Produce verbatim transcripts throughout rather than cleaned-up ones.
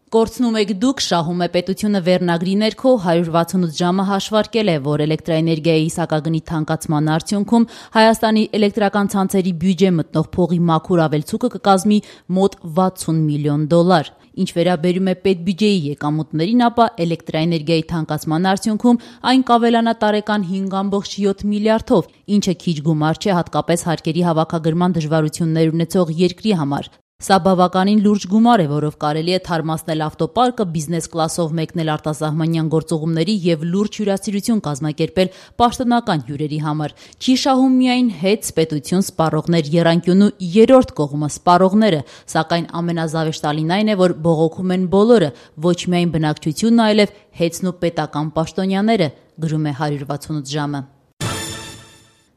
Կորցնում եք դուք, շահում է պետությունը վերնագրի ներքո հարյուր վաթսունութ ժամը հաշվարկել է, որ էլեկտրաէներգիայի սակագնի թանկացման արդյունքում Հայաստանի էլեկտրական ցանցերի բյուջե մտնող փողի մաքուր ավելցուկը կկազմի մոտ վաթսուն միլիոն դոլար։ Ինչ վերաբերում է պետբյուջեի եկամուտներին, ապա էլեկտրաէներգիայի թանկացման արդյունքում այն կավելանա տարեկան հինգ կoma յոթ միլիարդով, ինչը քիչ գումար չէ հատկապես հարկերի հավաքագրման դժվարություններ ունեցող երկրի համար։ Սա բավականին լուրջ գումար է, որով կարելի է թարմացնել ավտոպարկը, բիզնես կլասով մեկնել արտասահմանյան գործուղումների եւ լուրջ հյուրասիրություն կազմակերպել պաշտոնական հյուրերի համար։ Չի շահում միայն հետց, պետություն, սպառողներ, եռանկյունու երրորդ կողմը սպառողները, սակայն ամենազավեշտալին այն է, որ բողոքում են բոլորը, ոչ միայն բնակչությունն, այլև հետցն ու պետական պաշտոնյաները, գրում է հարյուր վաթսունութ ժամը։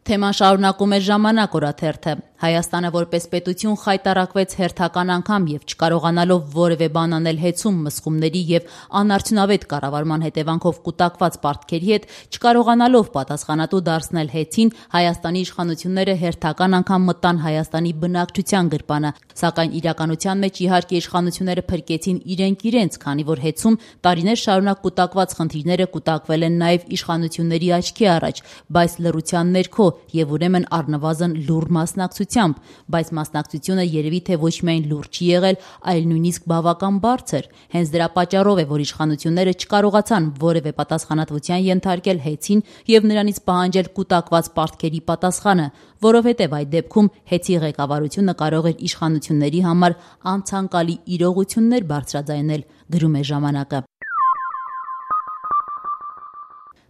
Թեման շարունակում է Ժամանակ օրաթերթը։ Հայաստանը որպես պետություն խայտառակվեց հերթական անգամ եւ չկարողանալով որևէ բան անել հեծում, մսխումների եւ անարդյունավետ կառավարման հետևանքով կուտակված պարտքերի հետ, չկարողանալով պատասխանատու դարձնել հեծին, Հայաստանի իշխանությունները հերթական անգամ մտան Հայաստանի բնակչության գրպանը, սակայն իրականության մեջ իհարկե իշխանությունները փրկեցին իրենք իրենց, քանի որ հեծում տարիներ շարունակ կուտակված խնդիրները կուտակվել են նաեւ իշխանությունների աչքի առաջ, բայց լռության ներքո եւ ուրեմն առնվազն լուռ մասնակցությամբ, բայց մասնակցությունը երևի թե ոչ միայն լուռ չի եղել, այլ նույնիսկ բավական բարձր։ Հենց դրա պատճառով է, որ իշխանությունները չկարողացան որևէ պատասխանատվության ենթարկել հեծին եւ նրանից պահանջել կուտակված պարտքերի պատասխանը, որովհետեւ այդ դեպքում հեծի ղեկավարությունը կարող էր իշխանությունների համար անցանկալի իրողություններ բարձրաձայնել, գրում է Ժամանակը։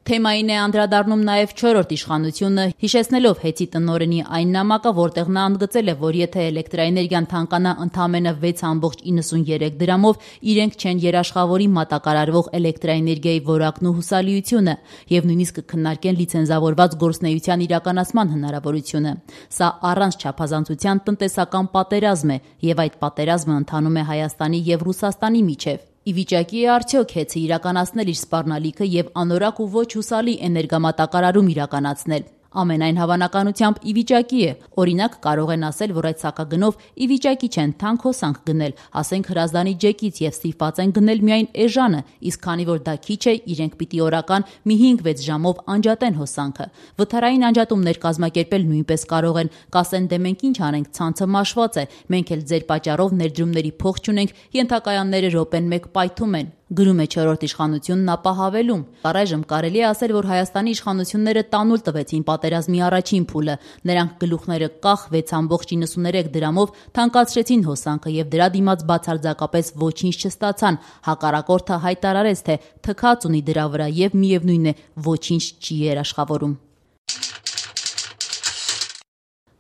Թեմային է անդրադառնում նաև չորրորդ իշխանությունը, հիշեցնելով հեծի տնօրենի այն նամակը, որտեղ նա ընդգծել է, որ եթե էլեկտրաէներգիան թանկանա ընդամենը վեց կoma իննսունյերեք դրամով, իրենք չեն երաշխավորի մատակարարվող էլեկտրաէներգիայի որակն ու հուսալիությունը եւ նույնիսկ կքննարկեն լիցենզավորված գործունեության իրականացման հնարավորությունը։ Սա առանց չափազանցության տնտեսական պատերազմ է եւ այդ պատերազմը ընթանում է Հայաստանի եւ Ռուսաստանի միջեւ։ Ի վիճակի է արդյոք հեծը իրականացնել իր սպառնալիքը եւ անորակ ու ոչ հուսալի էներգամատակարարում իրականացնել։ Ամենայն հավանականությամբ ի վիճակի է, օրինակ կարող են ասել, որ այդ սակագնով ի վիճակի չեն թանկ հոսանք գնել, ասենք Հրազդանի ջեկից եւ ստիպված են գնել միայն էժանը, իսկ քանի որ դա քիչ է, իրենք պիտի օրական մի հինգ-վեց ժամով անջատեն հոսանքը։ Վթարային անջատումներ կազմակերպել նույնպես կարող են, կասեն դե մենք ինչ անենք, ցանցը մաշված է, մենք էլ ձեր պատճառով ներդրումների փող չունենք, ենթակայանները րոպեն մեկ պայթում են, գրում է չորրորդ իշխանությունն, ապա հավելում. Առայժմ կարելի է ասել, որ Հայաստանի իշխանությունները տանուլ տվեցին պատերազմի առաջին փուլը, նրանք գլուխները կախ վեց կoma իննսուներեք դրամով թանկացրեցին հոսանքը եւ դրա դիմաց բացարձակապես ոչինչ չստացան, հակառակորդը հայտարարեց, թե թքած ունի դրա վրա եւ միևնույն է ոչինչ չի երաշխավորում։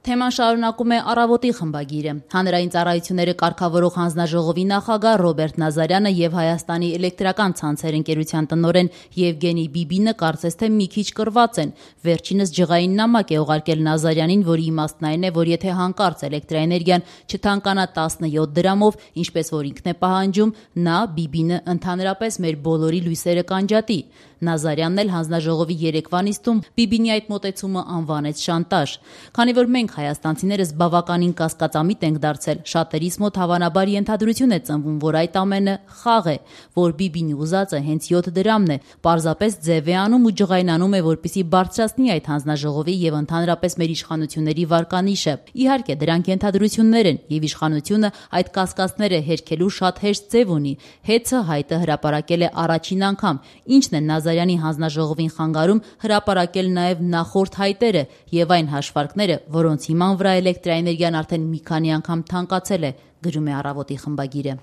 Թեման շարունակում է Առավոտի խմբագիրը։ Հանրային ծառայությունները կարգավորող հանձնաժողովի նախագահ Ռոբերտ Նազարյանը եւ Հայաստանի էլեկտրական ցանցեր ընկերության տնօրեն Եվգենի Բիբինը կարծես թե մի քիչ կռված են։ Վերջինս ջղային նամակ է ուղարկել Նազարյանին, որի իմաստն այն է, որ եթե հանկարծ էլեկտրաէներգիան չթանկանա տասնյոթ դրամով, ինչպես որ ինքն է պահանջում, նա Բիբինը ընդհանրապես մեր բոլորի լույսերը կանջատի։ Նազարյանն էլ հանձնաժողովի երեկվա նիստում Բիբինի այդ մոտեցումը անվանեց շանտաժ։ Քանի որ մենք հայաստանցիներս բավականին կասկածամիտ ենք դարձել, շատերիս մոտ հավանաբար ենթադրություն է ծնվում, որ այդ ամենը խաղ է, որ Բիբինի ուզածը հենց յոթ դրամն է, պարզապես ձև է անում ու ջղայնանում է, որպեսզի բարձրացնի այդ հանձնաժողովի եւ ընդհանրապես մեր իշխանությունների վարկանիշը։ Իհարկե դրանք ենթադրություններ են եւ իշխանությունը այդ կասկածները հերքելու շատ հեշտ ձև ունի։ Հեծը հայտը հրապարակել է առաջին անգամ, ինչն է Նազարյանի հանձնաժողովին խանգարում հրապարակել նաեւ նախորդ հայտերը եւ այն հաշվարկները, որոնց հիման վրա էլեկտրաէներգիան արդեն մի քանի անգամ թանկացել է, գրում է Առավոտի խմբագիրը։